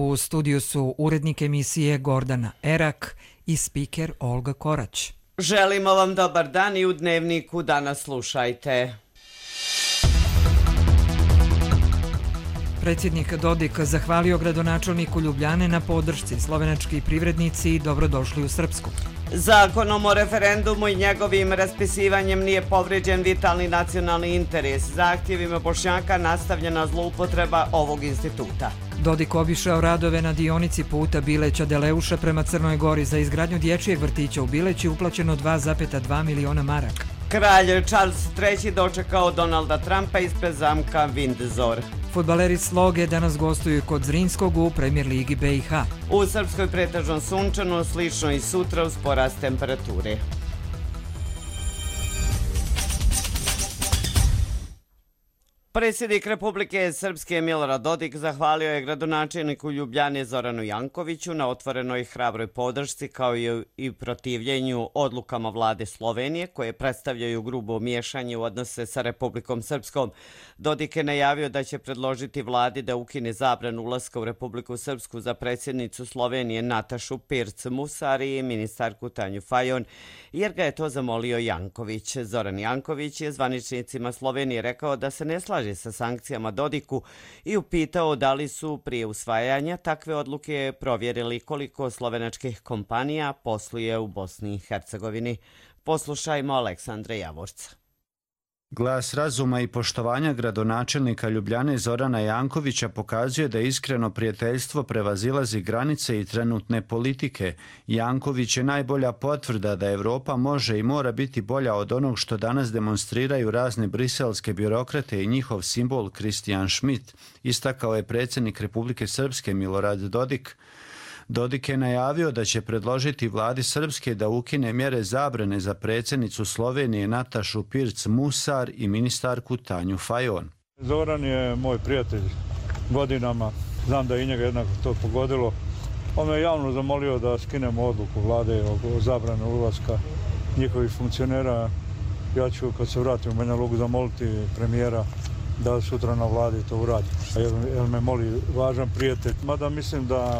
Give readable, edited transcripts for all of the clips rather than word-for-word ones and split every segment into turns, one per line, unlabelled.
U studiju su urednik emisije Gordana Erak i spiker Olga Korać.
Želimo vam dobar dan i u Dnevniku danas slušajte.
Predsjednik Dodik zahvalio gradonačelniku Ljubljane na podršci. Slovenački privrednici dobrodošli u Srpsku.
Zakonom o referendumu i njegovim raspisivanjem nije povrijeđen vitalni nacionalni interes. Zahtjevima Bošnjaka nastavljena zloupotreba ovog instituta.
Dodik obišao radove na dionici puta Bileća-Deleuša prema Crnoj Gori. Za izgradnju dječjeg vrtića u Bileći uplaćeno 2,2 miliona maraka.
Kralj Charles III dočekao Donalda Trumpa ispred zamka Windsor.
Fudbaleri Sloge danas gostuju kod Zrinskog u Premier ligi BiH.
U Srpskoj pretežno sunčano, slično i sutra uz porast temperature. Predsjednik Republike Srpske Milorad Dodik zahvalio je gradonačelniku Ljubljane Zoranu Jankoviću na otvorenoj hrabroj podršci kao i protivljenju odlukama vlade Slovenije koje predstavljaju grubo miješanje u odnose sa Republikom Srpskom. Dodik je najavio da će predložiti vladi da ukine zabranu ulaska u Republiku Srpsku za predsjednicu Slovenije Natašu Pirc Musari i ministarku Tanju Fajon, jer ga je to zamolio Janković. Zoran Janković je zvaničnicima Slovenije rekao da se ne slaže sa sankcijama Dodiku i upitao da li su prije usvajanja takve odluke provjerili koliko slovenačkih kompanija posluje u Bosni i Hercegovini. Poslušajmo Aleksandra Javorca.
Glas razuma i poštovanja gradonačelnika Ljubljane Zorana Jankovića pokazuje da iskreno prijateljstvo prevazilazi granice i trenutne politike. Janković je najbolja potvrda da Evropa može i mora biti bolja od onog što danas demonstriraju razne briselske birokrate i njihov simbol Kristijan Schmidt, istakao je predsjednik Republike Srpske Milorad Dodik. Dodik je najavio da će predložiti vladi Srpske da ukine mjere zabrane za predsjednicu Slovenije Natašu Pirc Musar i ministarku Tanju Fajon.
Zoran je moj prijatelj godinama, znam da i njega jednako to pogodilo. On me javno zamolio da skinemo odluku vlade o zabrane ulaska njihovih funkcionera. Ja ću kad se vratim u Banja Luku zamoliti premijera da sutra na vladi to uradi. Jer me moli važan prijatelj. Mada mislim da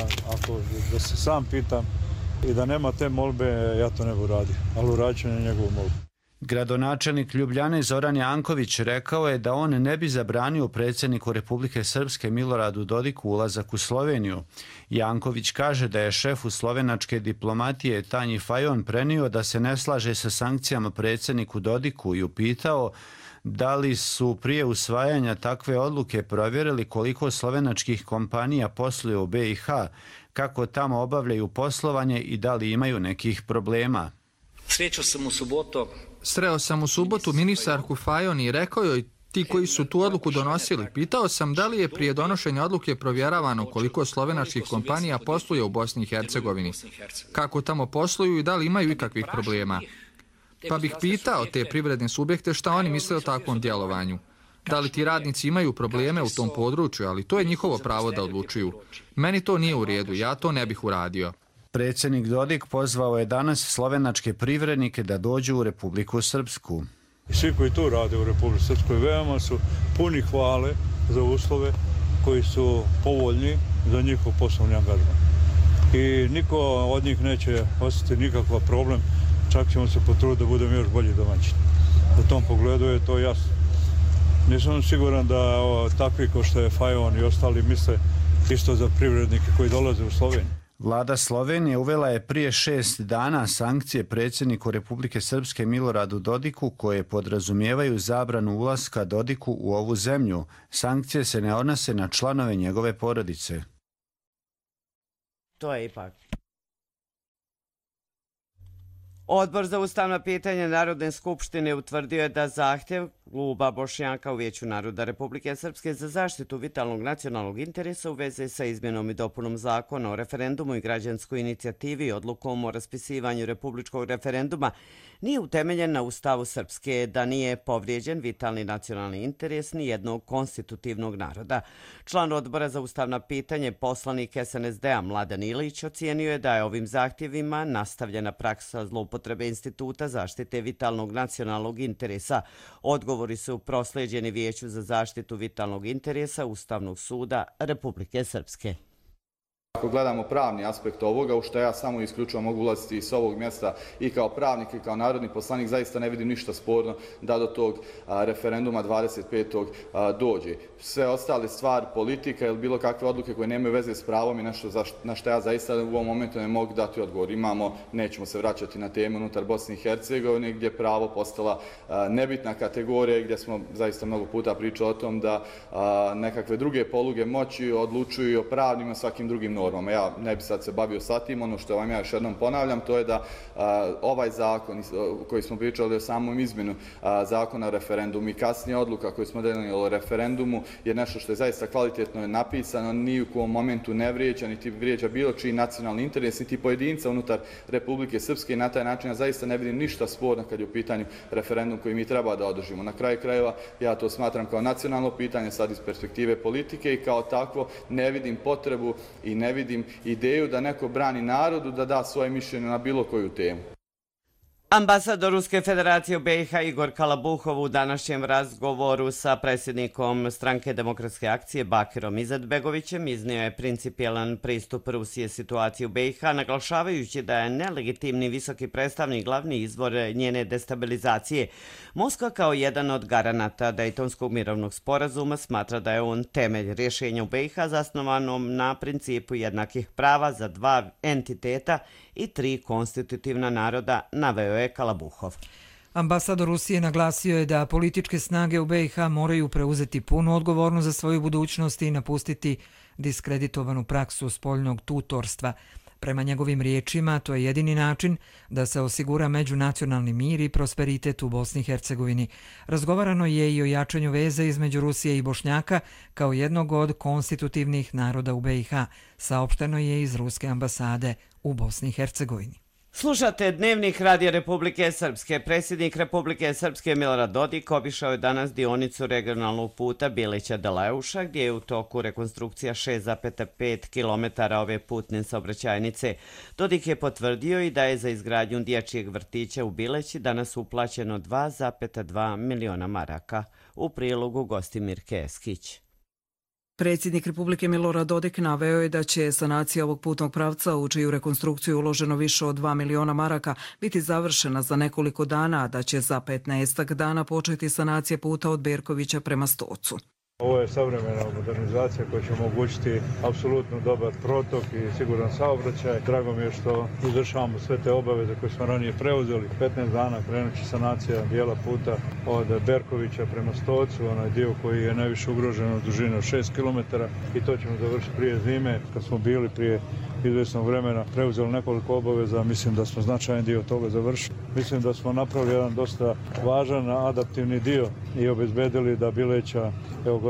se sam pitam i da nema te molbe, ja to ne bi uradio. Ali uradit ću na njegovu molbu.
Gradonačelnik Ljubljane Zoran Janković rekao je da on ne bi zabranio predsjedniku Republike Srpske Miloradu Dodiku ulazak u Sloveniju. Janković kaže da je šefu slovenačke diplomatije Tanji Fajon prenio da se ne slaže sa sankcijama predsjedniku Dodiku i upitao da li su prije usvajanja takve odluke provjerili koliko slovenačkih kompanija posluje u BiH, kako tamo obavljaju poslovanje i da li imaju nekih problema.
Sreo sam u subotu ministarku Fajon i rekao joj ti koji su tu odluku donosili. Pitao sam da li je prije donošenja odluke provjeravano koliko slovenačkih kompanija posluje u Bosni i Hercegovini, kako tamo posluju i da li imaju ikakvih problema. Pa bih pitao te privredne subjekte šta oni misle o takvom djelovanju. Da li ti radnici imaju probleme u tom području, ali to je njihovo pravo da odlučuju. Meni to nije u redu, ja to ne bih uradio.
Predsjednik Dodik pozvao je danas slovenačke privrednike da dođu u Republiku Srpsku.
Svi koji tu rade u Republici Srpskoj veoma su puni hvale za uslove koji su povoljni za njihov poslovni angažman. I niko od njih neće osjetiti nikakav problem, čak ćemo se potruditi da budemo još bolji domaćini. U tom pogledu je to jasno. Nisam siguran da takvi ko što je Fajon i ostali misle isto za privrednike koji dolaze u Sloveniju.
Vlada Slovenije uvela je prije 6 dana sankcije predsjedniku Republike Srpske Miloradu Dodiku koje podrazumijevaju zabranu ulaska Dodiku u ovu zemlju. Sankcije se ne odnose na članove njegove porodice.
To je ipak. Odbor za ustavna pitanja Narodne skupštine utvrdio je da zahtjev kluba Bošnjaka u Vijeću naroda Republike Srpske za zaštitu vitalnog nacionalnog interesa u vezi sa izmjenom i dopunom zakona o referendumu i građanskoj inicijativi i odlukom o raspisivanju republičkog referenduma nije utemeljen na Ustavu Srpske, da nije povrijeđen vitalni nacionalni interes ni jednog konstitutivnog naroda. Član odbora za ustavna pitanja, poslanik SNSD-a Mladen Ilić, ocijenio je da je ovim zahtjevima nastavljena praksa zloupotrebe instituta zaštite vitalnog nacionalnog interesa. Odgovori su proslijeđeni Vijeću za zaštitu vitalnog interesa Ustavnog suda Republike Srpske.
Ako gledamo pravni aspekt ovoga, u što ja samo isključivo mogu ulaziti s ovog mjesta i kao pravnik i kao narodni poslanik, zaista ne vidim ništa sporno da do tog referenduma 25. dođe. Sve ostale stvari, politika ili bilo kakve odluke koje nemaju veze s pravom i nešto na što ja zaista u ovom momentu ne mogu dati odgovor. Imamo, nećemo se vraćati na temu unutar Bosne i Hercegovine, gdje je pravo postala nebitna kategorija, gdje smo zaista mnogo puta pričali o tom da nekakve druge poluge moći odlučuju o pravnim i svakim drugim normama. Ja ne bi sad se bavio sa tim, ono što vam ja još jednom ponavljam, to je da ovaj zakon koji smo pričali o samom izmjenu zakona o referendumu i kasnije odluka koju smo donijeli o referendumu je nešto što je zaista kvalitetno napisano, ni u kom momentu ne vrijeđa, niti vrijeđa bilo čiji nacionalni interes, niti pojedinca unutar Republike Srpske i na taj način ja zaista ne vidim ništa sporno kad je u pitanju referendum koji mi treba da održimo. Na kraju krajeva ja to smatram kao nacionalno pitanje sad iz perspektive politike i kao takvo ne vidim potrebu i ne vidim ideju da neko brani narodu da da svoje mišljenje na bilo koju temu.
Ambasador Ruske federacije u BiH Igor Kalabuhov u današnjem razgovoru sa predsjednikom Stranke demokratske akcije Bakirom Izetbegovićem iznio je principijelan pristup Rusije situaciji u BiH, naglašavajući da je nelegitimni visoki predstavnik glavni izvor njene destabilizacije. Moskva kao jedan od garanata Dejtonskog mirovnog sporazuma smatra da je on temelj rješenja u BiH zasnovanom na principu jednakih prava za dva entiteta i tri konstitutivna naroda, naveo je Kalabuhov.
Ambasador Rusije naglasio je da političke snage u BiH moraju preuzeti punu odgovornost za svoju budućnost i napustiti diskreditovanu praksu spoljnog tutorstva. Prema njegovim riječima, to je jedini način da se osigura međunacionalni mir i prosperitet u Bosni i Hercegovini. Razgovarano je i o jačanju veze između Rusije i Bošnjaka kao jednog od konstitutivnih naroda u BiH, saopšteno je iz Ruske ambasade u Bosni i Hercegovini.
Slušate Dnevnik Radija Republike Srpske. Predsjednik Republike Srpske Milorad Dodik obišao je danas dionicu regionalnog puta Bilića-Deleuša, gdje je u toku rekonstrukcija 6,5 km ove putne saobraćajnice. Dodik je potvrdio i da je za izgradnju dječjeg vrtića u Bileći danas uplaćeno 2,2 miliona maraka. U prilogu Gostimir Keskić.
Predsjednik Republike Milorad Dodik naveo je da će sanacija ovog putnog pravca, u čiju rekonstrukciju uloženo više od 2 miliona maraka, biti završena za nekoliko dana, a da će za 15 dana početi sanacija puta od Berkovića prema Stocu.
Ovo je savremena modernizacija koja će omogućiti apsolutno dobar protok i siguran saobraćaj. Drago mi je što izvršavamo sve te obaveze koje smo ranije preuzeli. 15 dana krenut će sanacija dijela puta od Berkovića prema Stocu, onaj dio koji je najviše ugrožen od dužine od 6 km i to ćemo završiti prije zime. Kad smo bili prije izvjesnog vremena preuzeli nekoliko obaveza, mislim da smo značajan dio toga završili. Mislim da smo napravili jedan dosta važan adaptivni dio i obezbedili da Bileća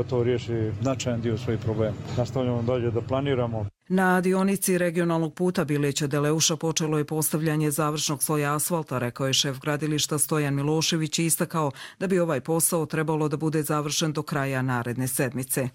gotovo riješi značajan dio svojih problema. Nastavljamo dalje da planiramo.
Na dionici regionalnog puta Bileća-Deleuša počelo je postavljanje završnog sloja asfalta, rekao je šef gradilišta Stojan Milošević i istakao da bi ovaj posao trebalo da bude završen do kraja naredne sedmice.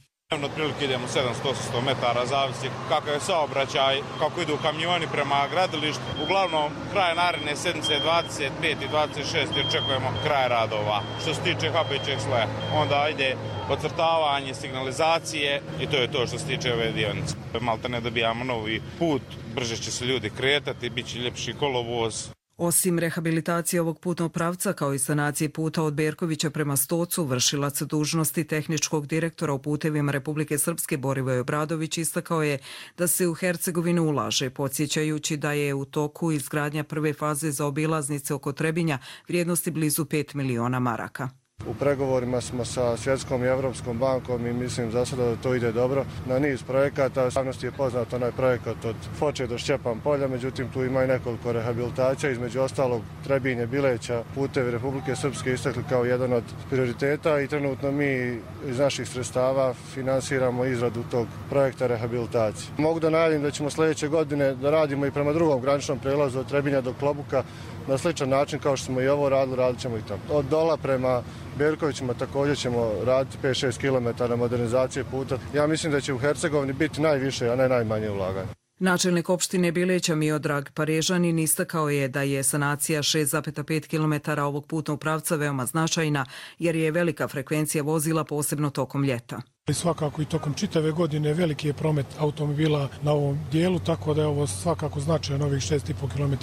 Otprilike idemo 700-800 metara, zavisi kakav je saobraćaj, kako idu kamioni prema gradilištu. Uglavnom, kraj naredne sedmice 25 i 26 očekujemo kraj radova. Što se tiče hapećeg sloja, onda ide podcrtavanje, signalizacije i to je to što se tiče ove dionice. Malta ne dobijamo novi put, brže će se ljudi kretati, bit će ljepši kolovoz.
Osim rehabilitacije ovog putnog pravca kao i sanacije puta od Berkovića prema Stocu, vršilac dužnosti tehničkog direktora u putevima Republike Srpske Borivoj Obradović istakao je da se u Hercegovinu ulaže, podsjećajući da je u toku izgradnja prve faze za obilaznice oko Trebinja vrijednosti blizu 5 miliona maraka.
U pregovorima smo sa Svjetskom i Evropskom bankom i mislim za sada da to ide dobro. Na niz projekata, javnosti je poznat onaj projekat od Foče do Šćepan polja, međutim tu ima i nekoliko rehabilitacija, između ostalog Trebinje, Bileća, putevi Republike Srpske istakli kao jedan od prioriteta i trenutno mi iz naših sredstava finansiramo izradu tog projekta rehabilitacije. Mogu da najavim da ćemo sljedeće godine da radimo i prema drugom graničnom prelazu od Trebinja do Klobuka na sličan način kao što smo i ovo radili, radit ćemo i tamo. Od Dola prema Berkovićima također ćemo raditi 5-6 km modernizacije puta. Ja mislim da će u Hercegovini biti najviše, a ne najmanje ulaganje.
Načelnik opštine Bileća Miodrag Parežanin istakao je da je sanacija 6,5 km ovog putnog pravca veoma značajna jer je velika frekvencija vozila posebno tokom ljeta.
Svakako i tokom čitave godine veliki je promet automobila na ovom dijelu, tako da je ovo svakako značajno ovih 6,5 km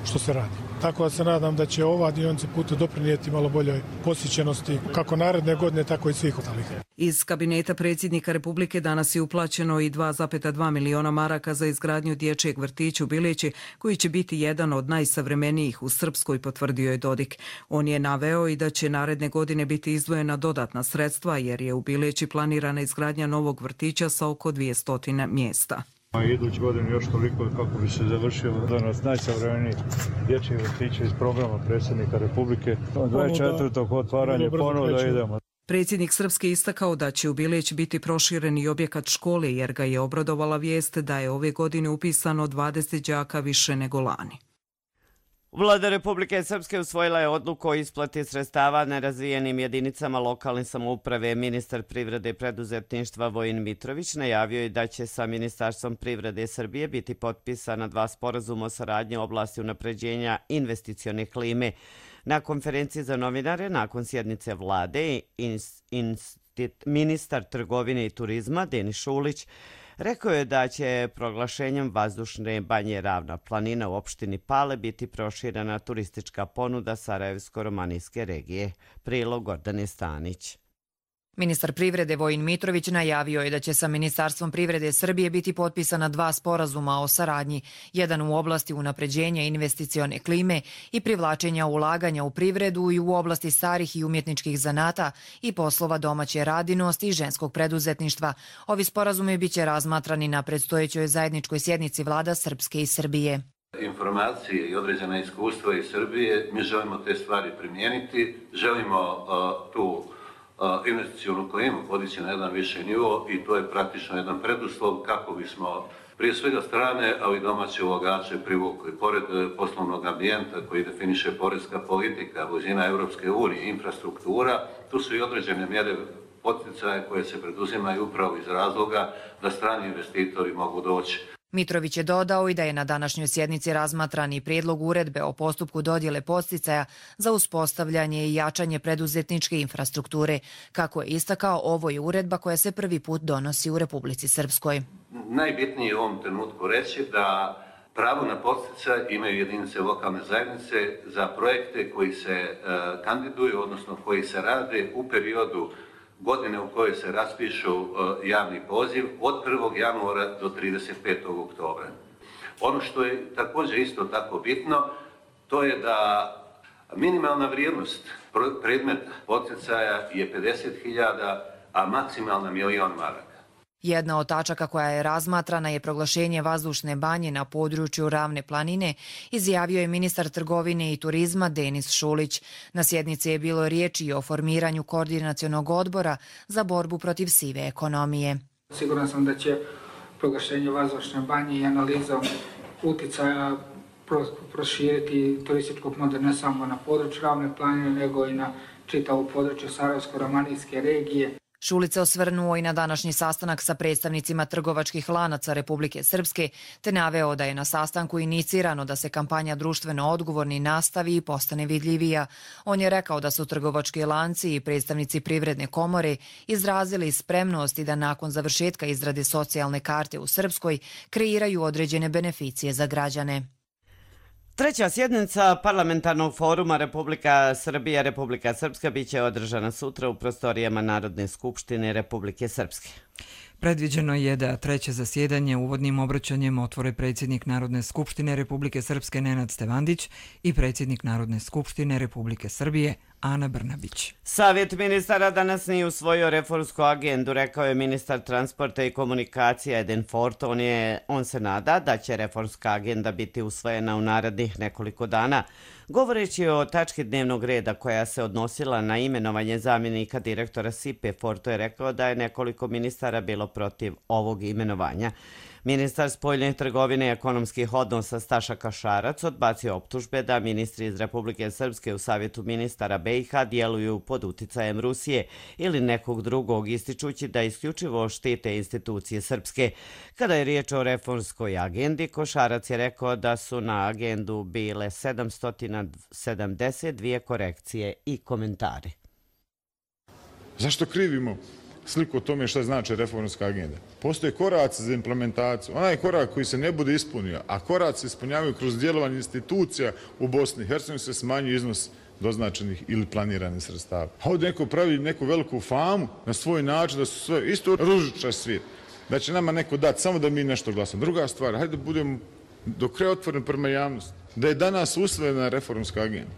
što se radi. Tako da se nadam da će ova dionica puta doprinijeti malo boljoj posjećenosti kako naredne godine, tako i svih ostalih.
Iz kabineta predsjednika Republike danas je uplaćeno i 2,2 miliona maraka za izgradnju dječjeg vrtića u Bileći, koji će biti jedan od najsavremenijih u Srpskoj, potvrdio je Dodik. On je naveo i da će naredne godine biti izdvojena dodatna sredstva, jer je u Bileći planirana izgradnja novog vrtića sa oko 200 mjesta.
Idući godin još toliko kako bi se završio danas najsavremeniji dječji vrtić iz programa predsjednika Republike. 24. otvaranje ponovo da idemo.
Predsjednik Srpske istakao da će u Bileć biti proširen i objekat škole, jer ga je obradovala vijest da je ove godine upisano 20 đaka više nego lani.
Vlada Republike Srpske usvojila je odluku o isplati sredstava nerazvijenim jedinicama lokalne samouprave. Ministar privrede i preduzetništva Vojin Mitrović najavio je da će sa Ministarstvom privrede Srbije biti potpisana 2 sporazuma o saradnji u oblasti unapređenja investicione klime. Na konferenciji za novinare nakon sjednice vlade ministar trgovine i turizma Denis Šulić rekao je da će proglašenjem vazdušne banje Ravna planina u opštini Pale biti proširena turistička ponuda Sarajevsko-romanijske regije. Prilog Gordane Stanić.
Ministar privrede Vojin Mitrović najavio je da će sa Ministarstvom privrede Srbije biti potpisana 2 sporazuma o saradnji, jedan u oblasti unapređenja investicione klime i privlačenja ulaganja u privredu i u oblasti starih i umjetničkih zanata i poslova domaće radinosti i ženskog preduzetništva. Ovi sporazumi biće razmatrani na predstojećoj zajedničkoj sjednici vlada Srpske i Srbije.
Informacije i određena iskustva iz Srbije, mi želimo te stvari primijeniti, želimo tu investicionu klimu podići na jedan više nivo i to je praktično jedan preduslov kako bismo prije svega strane, ali i domaće ulagače privukli. Pored poslovnog ambijenta koji definiše porezka politika, blizina Europske unije, infrastruktura, tu su i određene mjere poticaje koje se preduzimaju upravo iz razloga da strani investitori mogu doći.
Mitrović je dodao i da je na današnjoj sjednici razmatran i prijedlog uredbe o postupku dodjele podsticaja za uspostavljanje i jačanje preduzetničke infrastrukture. Kako je istakao, ovo je uredba koja se prvi put donosi u Republici Srpskoj.
Najbitnije je u ovom trenutku reći da pravo na podsticaj imaju jedinice lokalne zajednice za projekte koji se kandiduju, odnosno koji se rade u periodu godine u kojoj se raspišu javni poziv od 1. januara do 35. oktobra. Ono što je također isto tako bitno, to je da minimalna vrijednost predmeta poticaja je 50.000, a maksimalna 1.000.000 maraka.
Jedna od tačaka koja je razmatrana je proglašenje vazdušne banje na području Ravne planine, izjavio je ministar trgovine i turizma Denis Šulić. Na sjednici je bilo riječi i o formiranju koordinacionog odbora za borbu protiv sive ekonomije.
Siguran sam da će proglašenje vazdušne banje i analizom utjecaja proširiti turističku ponudu ne samo na području Ravne planine, nego i na čitavu području Sarajevsko-romanijske regije.
Šulić se osvrnuo i na današnji sastanak sa predstavnicima trgovačkih lanaca Republike Srpske, te naveo da je na sastanku inicirano da se kampanja društveno odgovorni nastavi i postane vidljivija. On je rekao da su trgovački lanci i predstavnici Privredne komore izrazili spremnost i da nakon završetka izrade socijalne karte u Srpskoj kreiraju određene beneficije za građane.
Treća sjednica parlamentarnog foruma Republika Srbija, Republika Srpska biće održana sutra u prostorijama Narodne skupštine Republike Srpske.
Predviđeno je da treće zasjedanje uvodnim obraćanjem otvore predsjednik Narodne skupštine Republike Srpske Nenad Stevandić i predsjednik Narodne skupštine Republike Srbije Ana Brnabić.
Savjet ministara danas nije usvojio reformsku agendu, rekao je ministar transporta i komunikacija Eden Fort. On se nada da će reformska agenda biti usvojena u narednih nekoliko dana. Govoreći o tački dnevnog reda koja se odnosila na imenovanje zamjenika direktora SIPE, Forto je rekao da je nekoliko ministara bilo protiv ovog imenovanja. Ministar spoljne trgovine i ekonomskih odnosa Staša Kašarac odbacio optužbe da ministri iz Republike Srpske u Savjetu ministara BiH djeluju pod uticajem Rusije ili nekog drugog, ističući da isključivo štite institucije Srpske. Kada je riječ o reformskoj agendi, Košarac je rekao da su na agendu bile 772 korekcije i komentari.
Zašto krivimo sliku o tome što znači reformska agenda. Postoje koraci za implementaciju. Onaj korak koji se ne bude ispunio, a koraci se ispunjavaju kroz djelovanje institucija u Bosni i Hercegovini, se smanjuje iznos doznačenih ili planiranih sredstava. A ovdje neko pravi neku veliku famu na svoj način da su sve isto ružičar svijet. Da će nama neko dati samo da mi nešto glasamo. Druga stvar, hajde da budemo do kraja otvoreni prema javnosti. Da je danas usvojena reformska agenda,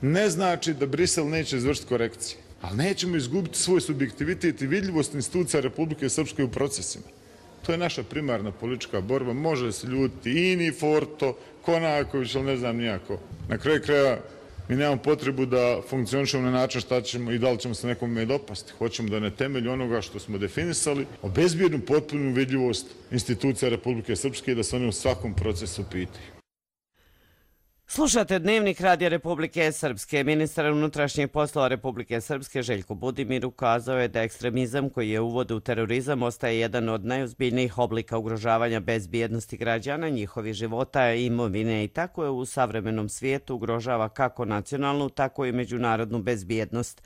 ne znači da Brisel neće izvršiti korekcije, ali nećemo izgubiti svoj subjektivitet i vidljivost institucija Republike Srpske u procesima. To je naša primarna politička borba. Može se ljutiti Ini, Forto, Konaković, ali ne znam nijako. Na kraju kraja mi nemamo potrebu da funkcionišemo na način šta ćemo i da li ćemo se nekome dopasti. Hoćemo da na temelju onoga što smo definisali obezbijednu potpunu vidljivost institucija Republike Srpske i da se one u svakom procesu pitaju.
Slušate Dnevnik Radija Republike Srpske. Ministar unutrašnjih poslova Republike Srpske Željko Budimir ukazao je da ekstremizam koji je uvod u terorizam ostaje jedan od najozbiljnijih oblika ugrožavanja bezbjednosti građana, njihovih života i imovine i tako je u savremenom svijetu ugrožava kako nacionalnu, tako i međunarodnu bezbjednost.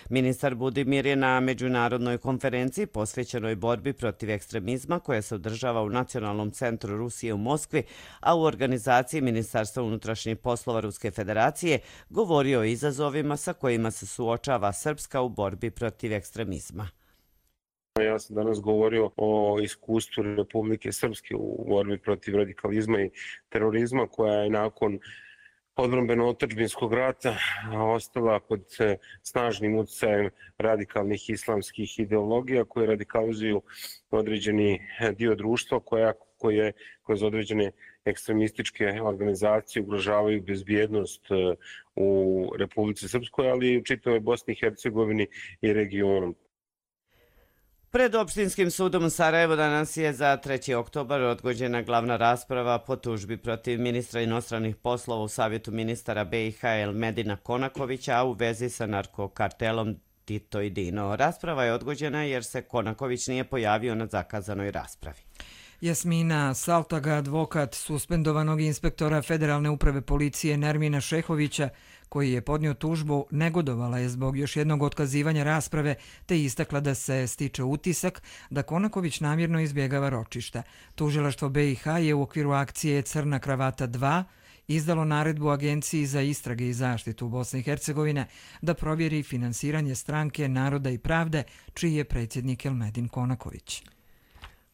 Ministar Budimir je na međunarodnoj konferenciji posvećenoj borbi protiv ekstremizma koja se održava u Nacionalnom centru Rusije u Moskvi, a u organizaciji Ministarstva unutrašnjih poslova Ruske federacije govorio o izazovima sa kojima se suočava Srpska u borbi protiv ekstremizma.
Ja sam danas govorio o iskustvu Republike Srpske u borbi protiv radikalizma i terorizma koja je nakon odbrambeno-otadžbinskog rata ostala pod snažnim utjecajem radikalnih islamskih ideologija koje radikalizuju određeni dio društva koje kroz određene ekstremističke organizacije ugrožavaju bezbjednost u Republici Srpskoj, ali i u čitavoj Bosni i Hercegovini i regionu.
Pred Opštinskim sudom u Sarajevu danas je za 3. oktobar odgođena glavna rasprava po tužbi protiv ministra inostranih poslova u Savjetu ministara BiH Elmedina Konakovića, a u vezi sa narkokartelom Tito i Dino. Rasprava je odgođena jer se Konaković nije pojavio na zakazanoj raspravi.
Jasmina Saltaga, advokat suspendovanog inspektora Federalne uprave policije Nermina Šehovića, koji je podnio tužbu, negodovala je zbog još jednog otkazivanja rasprave te istakla da se stiče utisak da Konaković namjerno izbjegava ročišta. Tužilaštvo BiH je u okviru akcije Crna kravata 2 izdalo naredbu Agenciji za istrage i zaštitu u Bosni i Hercegovine da provjeri finansiranje stranke Naroda i pravde, čiji je predsjednik Elmedin Konaković.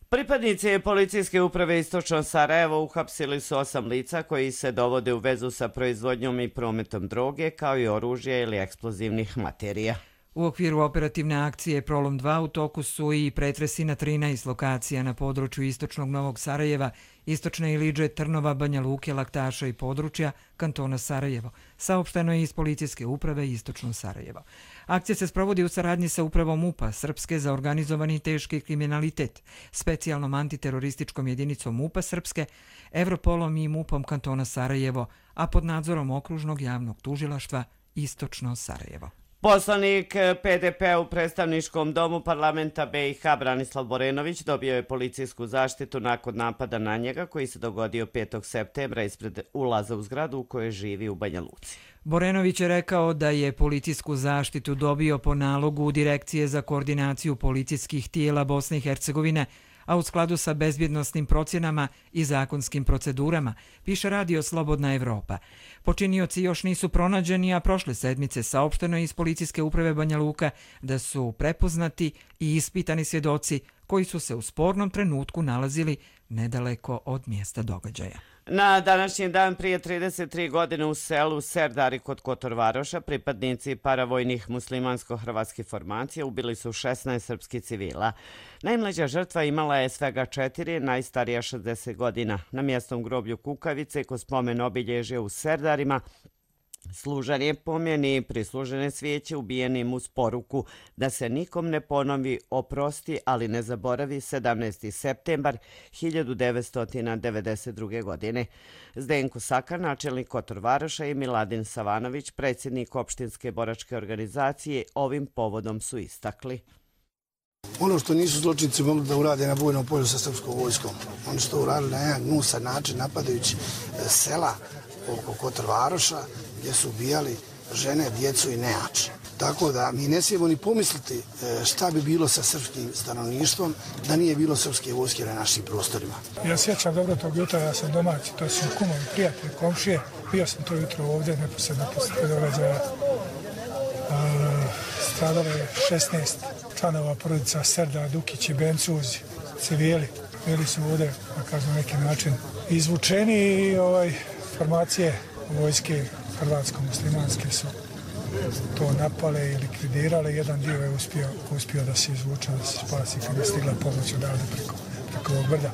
Pripadnici policijske uprave Istočno Sarajevo uhapsili su 8 lica koji se dovode u vezu sa proizvodnjom i prometom droge, kao i oružja ili eksplozivnih materija.
U okviru operativne akcije Prolom 2 u toku su i pretresi na 13 lokacija na području Istočnog Novog Sarajeva, Istočne Iliđe, Trnova, Banja Luke, Laktaša i područja kantona Sarajevo. Saopšteno je iz policijske uprave Istočno Sarajevo. Akcija se sprovodi u saradnji sa upravom MUP-a Srpske za organizovani teški kriminalitet, specijalnom antiterorističkom jedinicom MUP-a Srpske, Evropolom i MUP-om kantona Sarajevo, a pod nadzorom okružnog javnog tužilaštva Istočno Sarajevo.
Poslanik PDP u predstavničkom domu parlamenta BiH Branislav Borenović dobio je policijsku zaštitu nakon napada na njega koji se dogodio 5. septembra ispred ulaza u zgradu u kojoj živi u Banja Luci.
Borenović je rekao da je policijsku zaštitu dobio po nalogu Direkcije za koordinaciju policijskih tijela Bosne i Hercegovine, a u skladu sa bezbjednosnim procjenama i zakonskim procedurama, piše radio Slobodna Evropa. Počinioci još nisu pronađeni, a prošle sedmice saopšteno je iz policijske uprave Banja Luka da su prepoznati i ispitani svjedoci koji su se u spornom trenutku nalazili nedaleko od mjesta događaja.
Na današnji dan prije 33 godine u selu Serdari kod Kotorvaroša pripadnici paravojnih muslimansko-hrvatskih formacija ubili su 16 srpskih civila. Najmlađa žrtva imala je svega 4, najstarija 60 godina. Na mjesnom groblju Kukavice kod spomen obilježja u Serdarima služan je pomjeni prislužene svijeće ubijenim uz poruku da se nikom ne ponovi, oprosti, ali ne zaboravi 17. septembar 1992. godine. Zdenko Sakar, načelnik Kotorvaroša i Miladin Savanović, predsjednik opštinske boračke organizacije, ovim povodom su istakli.
Ono što nisu zločinci mogli da urade na bojnom polju sa srpskom vojskom, oni su to uradili na jedan gnusan način napadajući sela oko Kotorvaroša gdje su ubijali žene, djecu i nejače. Tako da mi ne smijemo ni pomisliti šta bi bilo sa srpskim stanovništvom da nije bilo srpske vojske na našim prostorima.
Ja sjećam dobro tog jutra, ja sam domaći, to su kumovi, prijatelji, komšije. Bio sam to jutro ovdje, neposredno poslije događaja. Stradalo je 16 članova porodica Serda, Dukić i Bencuzi, civili. Bili su ovdje, da kažem, neki način izvučeni i formacije vojske hrvatsko-muslimanske su to napale i likvidirale. Jedan dio je uspio da se izvuče, da se spasi kad je stigla pomoć odavde preko ovog brda.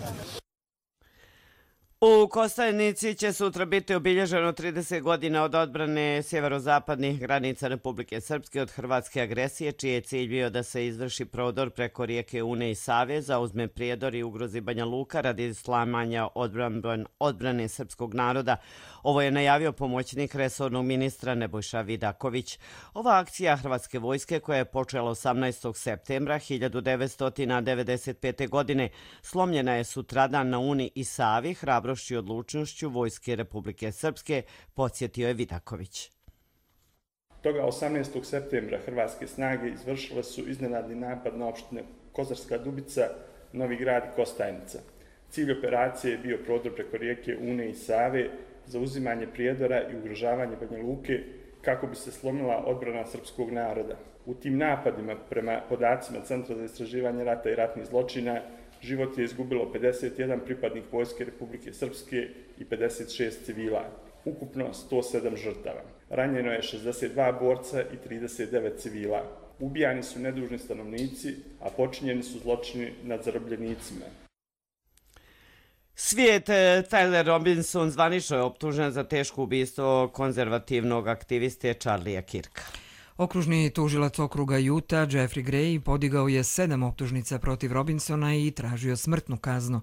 U Kostajnici će sutra biti obilježeno 30 godina od odbrane sjeverozapadnih granica Republike Srpske od hrvatske agresije, čiji je cilj bio da se izvrši prodor preko rijeke Une i Save, zauzme Prijedor i ugrozi Banja Luka radi slamanja odbrane srpskog naroda. Ovo je najavio pomoćnik resornog ministra Nebojša Vidaković. Ova akcija hrvatske vojske, koja je počela 18. septembra 1995. godine, slomljena je sutradan na Uni i Savi hrabrošću i odlučnošću vojske Republike Srpske, podsjetio je Vidaković.
Toga 18. septembra hrvatske snage izvršile su iznenadni napad na opštine Kozarska Dubica, Novi Grad i Kostajnica. Cilj operacije je bio prodor preko rijeke Une i Save, zauzimanje Prijedora i ugrožavanje Banja Luke kako bi se slomila odbrana srpskog naroda. U tim napadima, prema podacima Centra za istraživanje rata i ratnih zločina, život je izgubilo 51 pripadnik vojske Republike Srpske i 56 civila, ukupno 107 žrtava. Ranjeno je 62 borca i 39 civila. Ubijani su nedužni stanovnici, a počinjeni su zločini nad zarobljenicima.
Svijet Tyler Robinson zvanično je optužen za teško ubistvo konzervativnog aktiviste Charlieja Kirka.
Okružni tužilac okruga Utah, Jeffrey Gray, podigao je 7 optužnica protiv Robinsona i tražio smrtnu kaznu.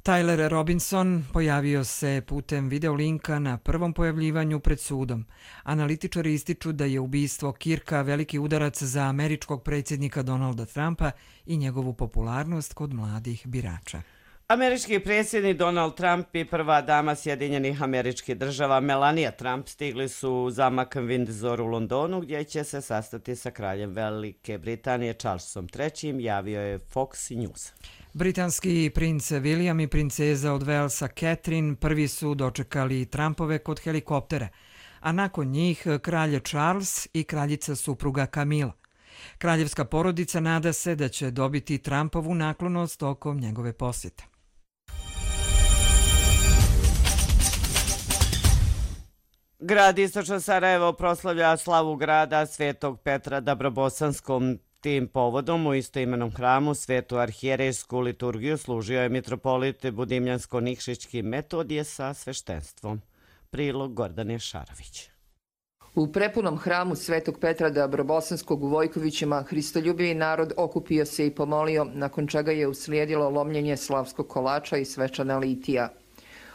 Tyler Robinson pojavio se putem videolinka na prvom pojavljivanju pred sudom. Analitičari ističu da je ubistvo Kirka veliki udarac za američkog predsjednika Donalda Trumpa i njegovu popularnost kod mladih birača.
Američki predsjednik Donald Trump i prva dama Sjedinjenih Američkih Država Melania Trump stigli su u zamak Windsor u Londonu, gdje će se sastati sa kraljem Velike Britanije Charlesom III, javio je Fox News.
Britanski princ William i princeza od Walesa Catherine prvi su dočekali Trumpove kod helikoptera, a nakon njih kralj Charles i kraljica supruga Camilla. Kraljevska porodica nada se da će dobiti Trumpovu naklonost tokom njegove posjete.
Grad Istočno Sarajevo proslavlja slavu grada Svetog Petra Dabrobosanskom. Tim povodom u istoimenom hramu Svetu arhijerejsku liturgiju služio je mitropolit Budimljansko-Nikšićki Metodije sa sveštenstvom. Prilog Gordane Šarović.
U prepunom hramu Svetog Petra Dabrobosanskog u Vojkovićima hristoljubivi narod okupio se i pomolio, nakon čega je uslijedilo lomljenje slavskog kolača i svečana litija.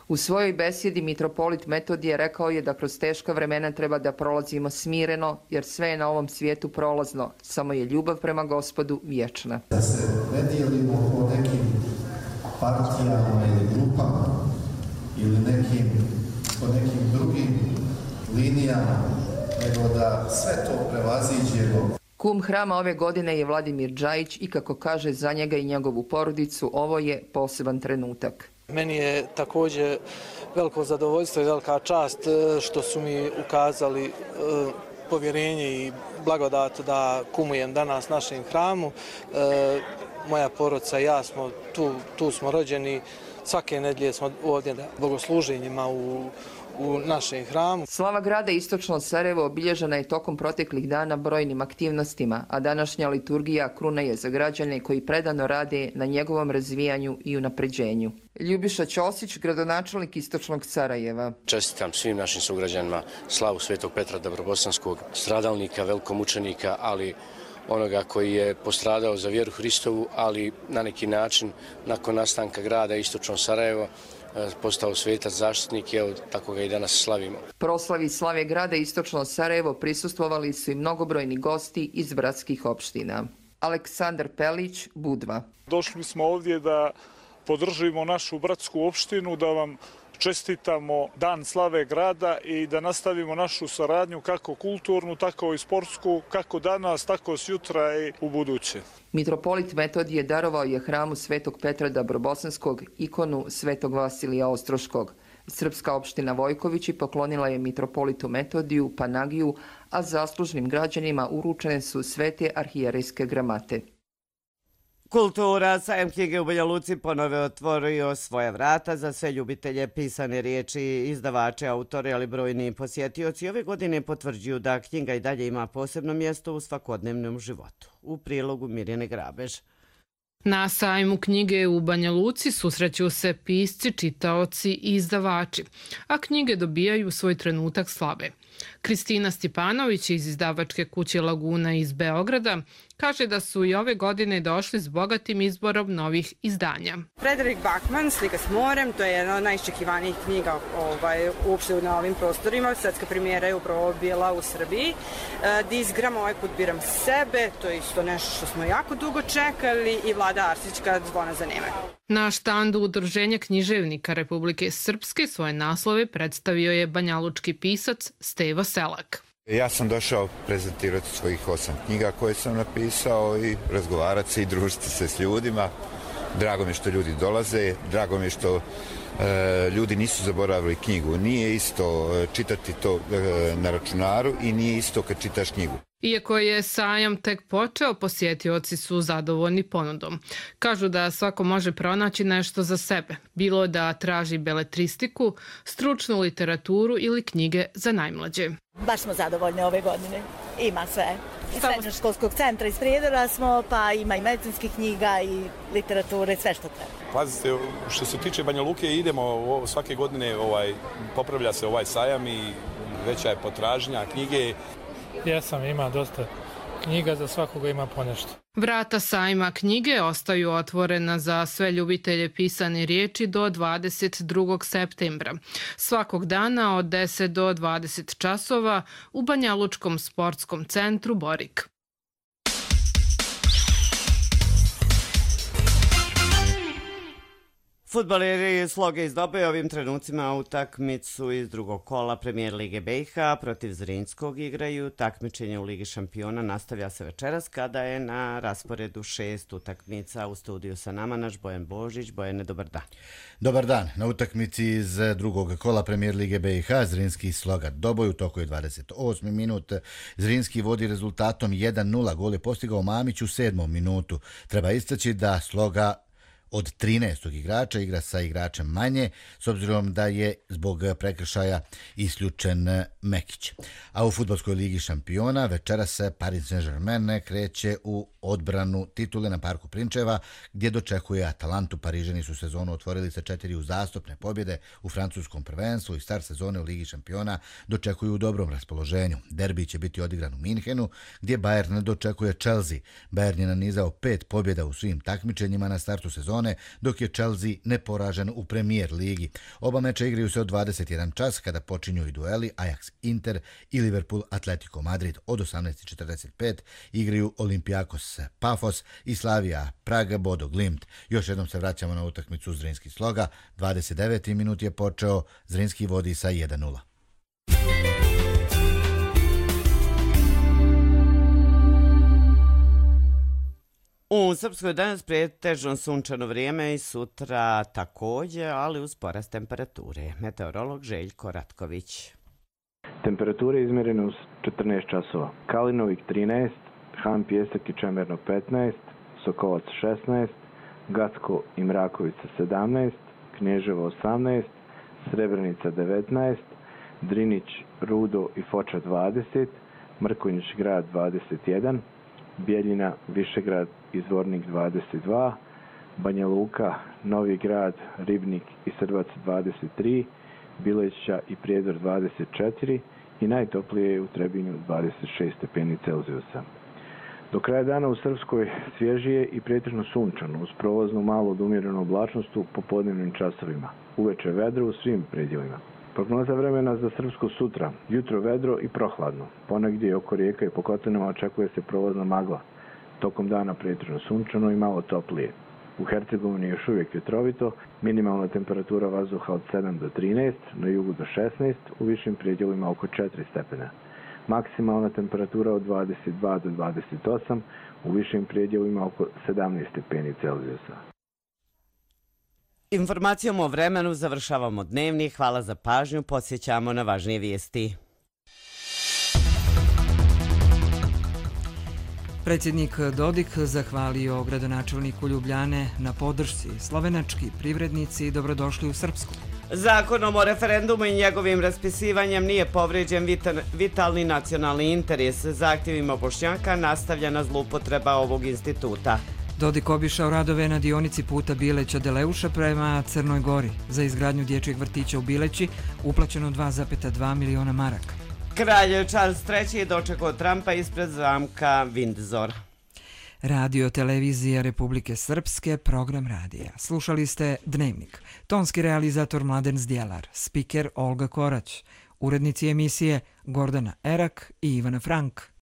U svojoj besjedi mitropolit Metodije rekao je da kroz teška vremena treba da prolazimo smireno, jer sve je na ovom svijetu prolazno, samo je ljubav prema Gospodu vječna.
Da se ne dijelimo po nekim partijama ili grupama ili po nekim drugim linijama, nego da sve to prevaziđemo.
Kum hrama ove godine je Vladimir Džajić i kako kaže za njega i njegovu porodicu, ovo je poseban trenutak.
Meni je također veliko zadovoljstvo i velika čast što su mi ukazali povjerenje i blagodat da kumujem danas našem hramu. Moja porodica i ja smo tu smo rođeni, svake nedjelje smo ovdje na bogosluženjima u našem hramu.
Slava grada Istočno Sarajevo obilježena je tokom proteklih dana brojnim aktivnostima, a današnja liturgija kruna je za građane koji predano rade na njegovom razvijanju i unapređenju. Ljubiša Ćosić, gradonačelnik Istočnog Sarajeva.
Čestitam svim našim sugrađanima slavu Svetog Petra Dabrobosanskog, stradalnika, velikomučenika, ali onoga koji je postradao za vjeru Hristovu, ali na neki način nakon nastanka grada Istočno Sarajevo postao svetac zaštitnik i evo tako ga i danas slavimo.
Proslavi slave grada Istočno Sarajevo prisustvovali su i mnogobrojni gosti iz bratskih opština. Aleksandar Pelić, Budva.
Došli smo ovdje da podržimo našu bratsku opštinu, da vam
čestitamo Dan slave grada i da nastavimo našu saradnju kako kulturnu, tako i sportsku, kako danas, tako sutra i u buduće.
Mitropolit Metodije darovao je hramu Svetog Petra Dabrobosanskog ikonu Svetog Vasilija Ostroškog. Srpska opština Vojkovići poklonila je mitropolitu Metodiju Panagiju, a zaslužnim građanima uručene su svete arhijerejske gramate.
Kultura, sajam knjige u Banja Luci ponovo otvorio svoja vrata za sve ljubitelje pisane riječi, izdavače, autore, ali brojni posjetioci ove godine potvrđuju da knjiga i dalje ima posebno mjesto u svakodnevnom životu. U prilogu Mirjane Grabež.
Na sajmu knjige u Banja Luci susreću se pisci, čitaoci i izdavači, a knjige dobijaju svoj trenutak slave. Kristina Stipanović iz izdavačke kuće Laguna iz Beograda kaže da su i ove godine došli s bogatim izborom novih izdanja.
Frederik Bachmann, Slika s morem, to je jedna od najiščekivanijih knjiga uopšte na ovim prostorima. Svetska premijera je upravo bila u Srbiji. Dizgram, ovaj put biram sebe, to je isto nešto što smo jako dugo čekali, i Vlada Arsićka, Zvona za Neme.
Na štandu Udruženja književnika Republike Srpske svoje naslove predstavio je banjalučki pisac Stevo Selak.
Ja sam došao prezentirati svojih 8 knjiga koje sam napisao i razgovarati se i družiti se s ljudima. Drago mi je što ljudi dolaze, drago mi je što ljudi nisu zaboravili knjigu. Nije isto čitati to na računaru i nije isto kad čitaš knjigu.
Iako je sajam tek počeo, posjetioci su zadovoljni ponudom. Kažu da svako može pronaći nešto za sebe, bilo da traži beletristiku, stručnu literaturu ili knjige za najmlađe.
Baš smo zadovoljni ove godine. Ima sve. Iz srednjoškolskog centra iz Prijedora smo, pa ima i medicinskih knjiga i literature, sve što treba.
Pazite, što se tiče Banja Luke, idemo svake godine, popravlja se ovaj sajam i veća je potražnja knjige.
Ima dosta knjiga, za svakoga ima ponešto.
Vrata sajma knjige ostaju otvorena za sve ljubitelje pisane riječi do 22. septembra. Svakog dana od 10 do 20 časova u Banjalučkom sportskom centru Borik.
Fudbaleri Sloge iz Dobe ovim trenucima utakmicu iz drugog kola Premijer Lige BiH protiv Zrinjskog igraju. Takmičenje u Ligi šampiona nastavlja se večeras kada je na rasporedu 6 utakmica. U studiju sa nama naš Bojan Božić. Bojane, dobar dan.
Dobar dan. Na utakmici iz drugog kola Premijer Lige BiH Zrinjski Sloga Doboj u toku je 28. minut. Zrinjski vodi rezultatom 1-0. Gol je postigao Mamić u 7. minutu. Treba istaći da Sloga od 13. igrača igra sa igračem manje, s obzirom da je zbog prekršaja isključen Mekić. A u Fudbalskoj ligi šampiona večeras se Paris Saint-Germain kreće u odbranu titule na Parku Prinčeva, gdje dočekuje Atalantu. Parižani su sezonu otvorili sa 4 uzastopne pobjede u francuskom prvenstvu i start sezone u Ligi šampiona dočekuju u dobrom raspoloženju. Derbi će biti odigran u Minhenu, gdje Bayern dočekuje Chelsea. Bayern je nanizao 5 pobjeda u svim takmičenjima na startu sezone, dok je Chelsea neporažen u Premier ligi. Oba meča igraju se od 21 čas kada počinju i dueli Ajax Inter i Liverpool Atletico Madrid. Od 18:45 igraju Olympiakos Pafos i Slavia Praga Bodo Glimt. Još jednom se vraćamo na utakmicu Zrinjski Sloga. 29. minut je počeo, Zrinjski vodi sa 1-0.
U Srpskoj danas pretežno sunčano vrijeme i sutra također, ali uz porast temperature. Meteorolog Željko Ratković.
Temperature izmjerene u 14 časova. Kalinovik 13, Han Pjesak i Čemerno 15, Sokolac 16, Gacko i Mrakovica 17, Knježevo 18, Srebrenica 19, Drinić, Rudo i Foča 20, Mrkonjić grad 21, Bijeljina, Višegrad i Zvornik 22, Banja Luka, Novi grad, Ribnik i Srbac 23, Bileća i Prijedor 24 i najtoplije je u Trebinju 26 stepeni Celzijusa. Do kraja dana u Srpskoj svježije i pretežno sunčano, uz prolaznu malu od umjerenu oblačnost u popodnevnim časovima. Uveče vedro u svim predjelima. Prognoza vremena za Srpsku sutra. Jutro vedro i prohladno. Ponegdje oko rijeka i po kotlinama očekuje se prolazna magla. Tokom dana pretežno sunčano i malo toplije. U Hercegovini je još uvijek vjetrovito, minimalna temperatura vazduha od 7 do 13, na jugu do 16, u višim predjelima oko 4 stepena. Maksimalna temperatura od 22 do 28, u višim predjelima oko 17 stepeni Celzijusa.
Informacijom o vremenu završavamo dnevni. Hvala za pažnju, podsjećamo na važnije vijesti.
Predsjednik Dodik zahvalio gradonačelniku Ljubljane na podršci. Slovenački privrednici dobrodošli u Srpsku.
Zakonom o referendumu i njegovim raspisivanjem nije povrijeđen vitalni nacionalni interes. Zahtjevima Bošnjaka nastavljena zloupotreba ovog instituta.
Dodik obišao radove na dionici puta Bileća-Deleuša prema Crnoj Gori. Za izgradnju dječjeg vrtića u Bileći uplaćeno 2,2 miliona maraka.
Kralj Charles III. Dočekao Trumpa ispred zamka Windsor.
Radio televizija Republike Srpske, program radija. Slušali ste Dnevnik. Tonski realizator Mladen Zdjelar, spiker Olga Korać, urednici emisije Gordana Erak i Ivana Frank.